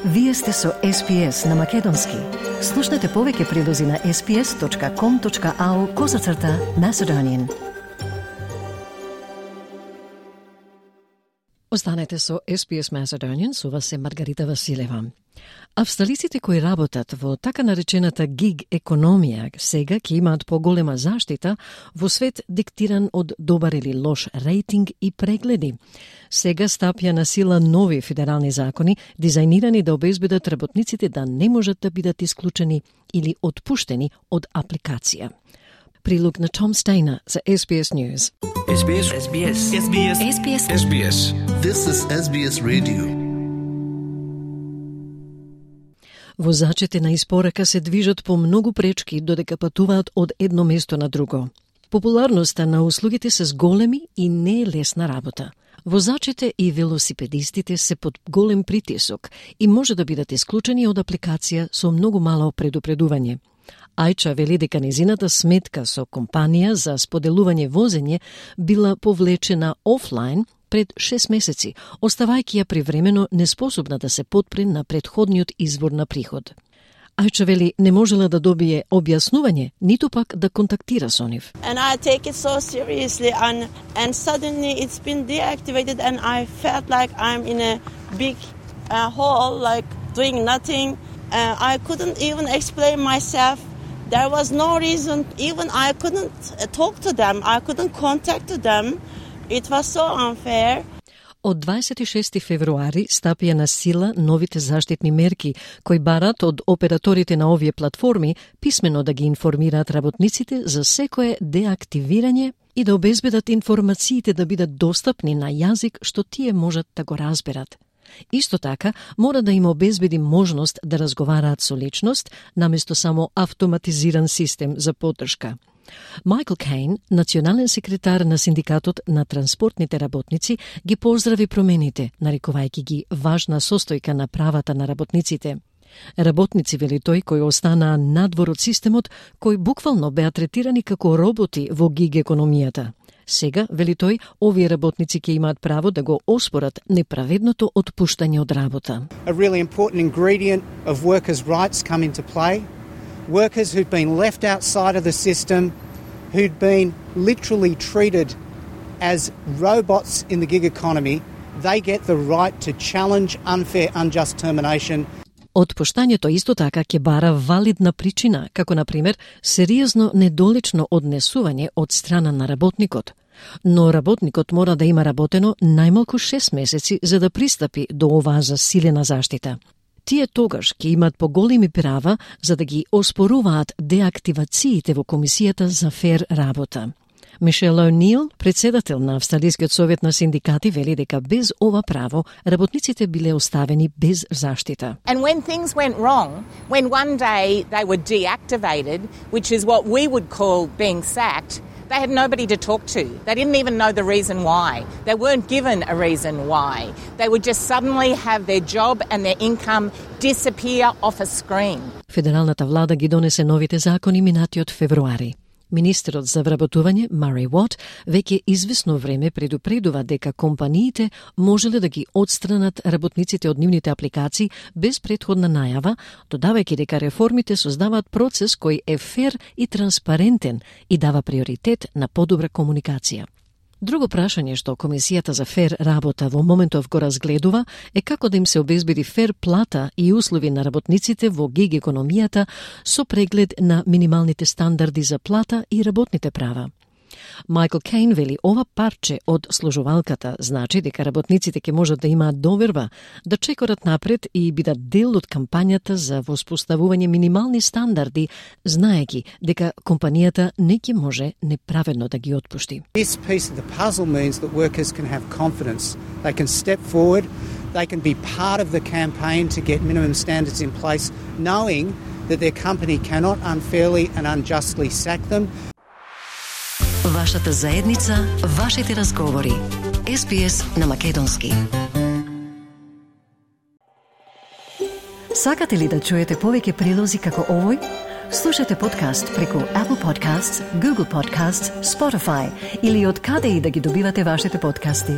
Вие сте со SPS на Македонски. Слушнете повеќе прилози на sps.com.au/Macedonian. Останете со SPS Macedonian, со вас е Маргарита Василева. Австралиците кои работат во така наречената гиг економија сега ќе имаат поголема заштита во свет диктиран од добар или лош рейтинг и прегледи. Сега стапја на сила нови федерални закони, дизајнирани да обезбедат работниците да не можат да бидат исклучени или отпуштени од апликација. Прилог на Том Стейнер за SBS News. SBS. SBS. SBS. SBS. SBS. This is SBS Radio. Возачите на испорака се движат по многу пречки додека патуваат од едно место на друго. Популарноста на услугите се зголеми и не е лесна работа. Возачите и велосипедистите се под голем притисок и може да бидат исклучени од апликација со многу мало предупредување. Ајча вели дека незината сметка со компанија за споделување возење била повлечена офлайн пред 6 месеци, оставајќи ја привремено неспособна да се подпре на претходниот извор на приход. Ајча вели не можела да добие објаснување, ниту пак да контактира со нив. And I take it so seriously and suddenly it's been deactivated and I felt like I'm in a big hole, like doing nothing. I couldn't even explain myself. There was no reason, even I couldn't talk to them, I couldn't contact them. It was so unfair. Од 26 февруари стапија на сила новите заштитни мерки, кои барат од операторите на овие платформи писмено да ги информираат работниците за секое деактивирање и да обезбедат информациите да бидат достапни на јазик што тие можат да го разберат. Исто така, мора да им обезбеди можност да разговараат со личност, наместо само автоматизиран систем за поддршка. Майкл Кейн, национален секретар на Синдикатот на транспортните работници, ги поздрави промените, нарекувајќи ги важна состојка на правата на работниците. Работници, вели тој, кои останаа надвор од системот, кои буквално беа третирани како роботи во гиг економијата. Сега, вели тој, овие работници ќе имаат право да го оспорат неправедното отпуштање од работа. A really important ingredient of workers' rights come into play. Workers who've been left outside of the system, who'd been literally treated as robots in the gig economy, they get the right to challenge unfair, unjust termination. Отпуштањето исто така ќе бара валидна причина, како на пример сериозно недолично однесување од страна на работникот. Но работникот мора да има работено најмалку 6 месеци за да пристапи до оваа засилена заштита. Тие тогаш ќе имат поголеми права за да ги оспоруваат деактивациите во Комисијата за фер работа. Мишел О'Нил, председател на Австралискиот совет на синдикати, вели дека без ова право работниците биле оставени без заштита. And when things went wrong, when one day they were deactivated, which is what we would call being sacked, they had nobody to talk to. They didn't even know the reason why. They weren't given a reason why. They would just suddenly have their job and their income disappear off a screen. Федералната влада ги донесе новите закони минатиот февруари. Министерот за вработување, Мари Уот, веќе извесно време предупредува дека компаниите можеле да ги отстранат работниците од нивните апликации без претходна најава, додавајќи дека реформите создаваат процес кој е фер и транспарентен и дава приоритет на подобра комуникација. Друго прашање што Комисијата за фер работа во моментов го разгледува е како да им се обезбеди фер плата и услови на работниците во гиг економијата со преглед на минималните стандарди за плата и работните права. Майкл Кейн вели ова парче од сложувалката значи дека работниците ќе можат да имаат доверба да чекорат напред и бидат дел од кампањата за воспоставување минимални стандарди, знаејќи дека компанијата не ќе може неправедно да ги отпушти. This piece of the puzzle means that workers can have confidence. They can step forward, they can be part of the campaign to get minimum standards in place, knowing that their company cannot unfairly and unjustly sack them. Вашата заедница, вашите разговори. SBS на Македонски. Сакате ли да чуете повеќе прилози како овој? Слушате подкаст преку Apple Podcasts, Google Podcasts, Spotify или од каде и да ги добивате вашите подкасти.